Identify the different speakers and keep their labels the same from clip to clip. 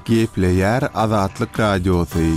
Speaker 1: Gepleýär Azatlyk Radiosy.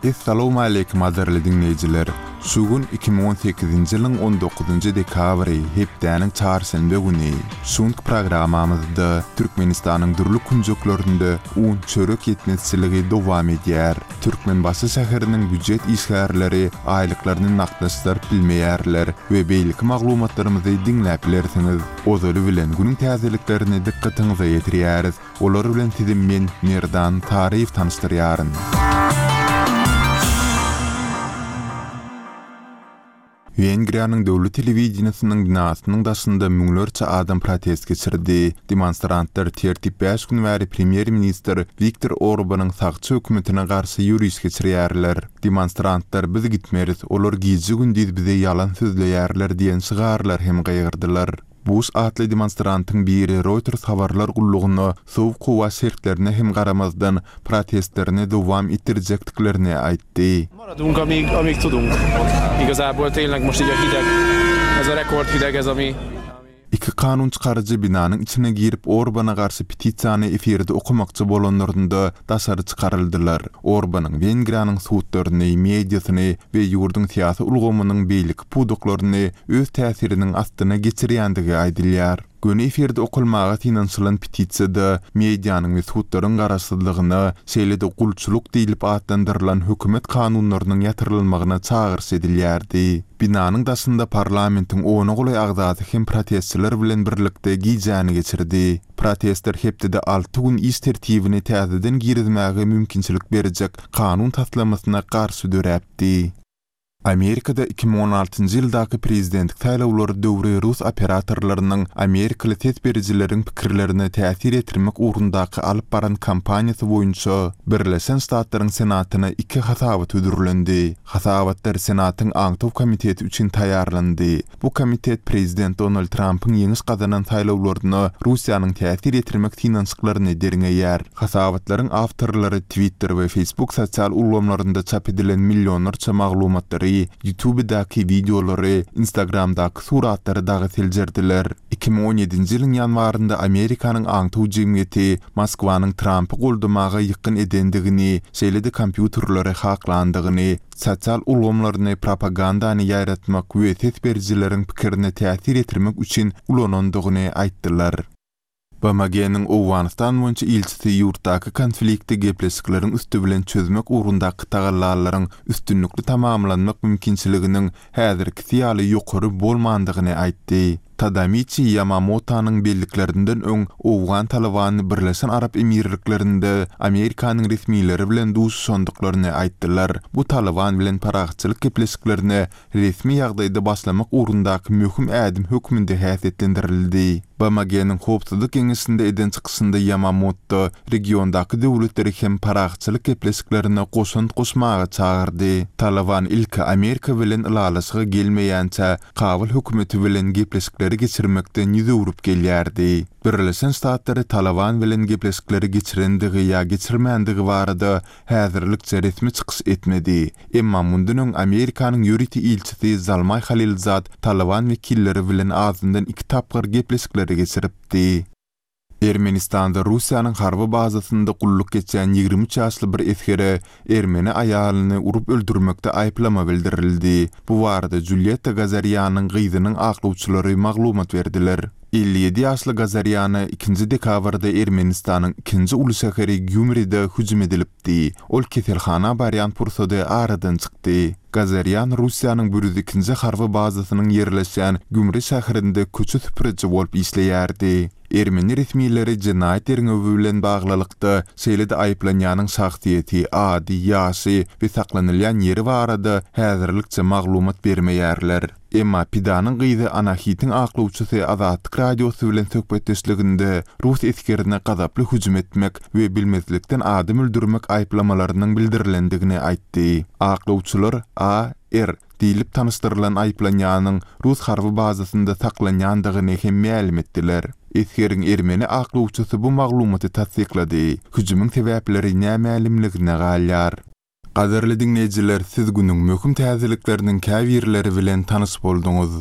Speaker 1: Essalawmaleýkim gadyrly diňleýjiler! Şu gün 2018-nji ýylyň on dokuzynjy dekabry, hepdäniň çarşenbe güni. Şu günki programmamyzda Türkmenistanyň dürli künjeklerinde un, çörek ýetmezçiligi dowam edýär. Türkmenbaşy şäheriniň býujet işgärleri aýlyklaryny nagtlaşdyryp bilmeýärler we beýleki maglumatlarymyzy diňläp bilersiňiz. Ozaly bilen günüň täzeliklerini dykgatyňyza ýetirýäris. Olar bilen sizi men, Merdan Taryýew tanyşdyrýaryn. Wengriýanyň döwlet telewideniýesiniň binasynyň daşynda müňlerçe adam protest geçirdi. Demonstrantlar tertip bäş gün bäri premýer-ministr Wiktor Orbanyň sagçy hökümetine garşy ýöriş geçirýärler. Demonstrantlar Biz gitmeris, olar gije-gündiz bize ýalan sözleýärler diýen şygarlar hem gygyrdylar. Buş atly demonstrantyň biri Reuters habarlar gullugyna sowuk howa şertlerine hem garamazdan, protestlerini dowam etdirjekdiklerini aýtdy.
Speaker 2: Maradunk amíg, amíg tudunk. Igazából tényleg most így a hideg, ez a rekord hideg ez ami.
Speaker 1: Iki kanun çykaryjy binanyň içine girip Orbana garşy petisiýany efirde okamakçy bolanlarynda daşary çykaryldylar. Orbanyň Wengriýanyň sudlaryny, mediasyny we ýurduň syýasy ulgamynyň beýleki pudaklaryny öz täsiriniň astyna geçirýändigi aýdylýar. Göni efirde okalmaga synanyşylan petisiýada medianyň we sudlaryň garaşsyzlygyna, şeýle-de gulçulyk diýlip atlandyrylan hökümet kanunlarynyň ýatyrylmagyna çagyryş edilýärdi. Binanyň daşynda parlamentiň ona golaý agzasy hem protestçiler bilen birlikde gijäni geçirdi. Protestler hepdede alty gün iş tertibini täzeden girizmäge mümkinçilik berjek kanun taslamasyna garşy döräpdi. Amerikada 2016-njy ýyldaky prezidentlik saýlawlary döwri rus operatorlarynyň amerikaly ses berijileriň pikirlerine täsir ýetirmek ugrundaky alyp baran kampaniýasy boýunça Birleşen Ştatlaryň Senatyna iki hasabat hödürlendi. Hasabatlar Senatyň Aňtaw komiteti üçin taýýarlandy. Bu komitet prezident Donald Trampyň ýeňiş gazanan saýlawlaryna Russiýanyň täsir ýetirmek synanyşyklaryny derňeýär. Hasabatlaryň awtorlary Twitter we Facebook sosial ulgamlarynda çap edilen millionlarça maglumatlary, YouTubedaky wideolary, Instagramdaky suratlary dagy seljerdiler. 2017-nji ýylyň ýanwarynda Amerikanyň aňtaw jemgyýeti Moskwanyň Trampy goldamaga ýykgyn edendigini, şeýle-de kompýuterleri haklandygyny, sosial ulgamlaryny propagandany ýaýratmak we ses berijileriň pikirine täsir ýetirmek üçin ulanandygyny aýtdylar. BMG-niň Owganystan boýunça ilçisi ýurtdaky konflikti gepleşikleriň üsti bilen çözmek ugrundaky tagallalaryň üstünlikli tamamlanmak mümkinçiliginiň häzirkisi ýaly ýokary bolmandygyny aýtdy. Tadamiçi Ýamamotanyň belliklerinden öň owgan Talybany Birleşen Arap Emirliklerinde Amerikanyň resmileri bilen duşuşandyklaryny aýtdylar. Bu Talyban bilen parahatçylyk gepleşiklerine resmi ýagdaýda başlamak ugrundaky möhüm ädim hökmünde häsiýetlendirildi. BMG-niň Howpsuzlyk Geňeşinde eden çykyşynda Ýamamoto regiondaky döwletleri hem parahatçylyk gepleşiklerine goşant goşmaga çagyrdy. Talyban ilki Amerika bilen ylalaşyga gelmeýänçä Kabul hökümeti bilen gepleşikleri geçirmekden ýüz öwrüp gelýärdi. Birleşen Ştatlary Talyban bilen gepleşikleri geçirendigi ýa geçirmändigi barada häzirlikçe resmi çykyş etmedi. Emma mundan öň Amerikanyň ýörite ilçisi Zalmaý Halilzad Talyban wekilleri bilen azyndan iki tapgyr gepleşikleri geçiripdi. Ermenistanda Russiýanyň harby bazasynda gulluk geçýän 23 ýaşly bir esgere ermeni aýalyny urup öldürmekde aýyplama bildirildi. Bu barada Julýetta Gazarýanyň gyzynyň aklawçylary maglumat berdiler. 57 ýaşly Gazarýana ikinji dekabrda Ermenistanyň ikinji uly şäheri Gýumride hüjüm edilipdi. Ol keselhana barýan pursady aradan çykdy. Gazarýan Russiýanyň 102-nji harby bazasynyň ýerleşýän Gümri şäherinde köçe süpüriji bolup işleýärdi. Ermeni resmileri jenaýat derňewi bilen baglylykda, şeýle-de aýyplanýanyň şahsyýeti, ady, ýaşy we saklanylýan ýeri barada häzirlikçe maglumat bermeýärler. Emma pidanyň gyzy Anahitiň aklawçysy Azatlyk Radiosy bilen söhbetdeşliginde rus esgerine gazaply hüjüm etmek we bilmezlikden adam öldürmek aýyplamalarynyň bildirilendigini aýtdy. Aklawçylar AR. Diýlip tanyşdyrylan aýyplanýanyň rus harby bazasynda saklanýandygyny hem mälim etdiler. Esgeriň ermeni aklawçysy bu maglumaty tassyklady. Hüjümiň sebäpleri nämälimligine galýar. Gadyrly diňleýjiler siz günüň möhüm täzelikleriniň käbirleri bilen tanyş bolduňyz.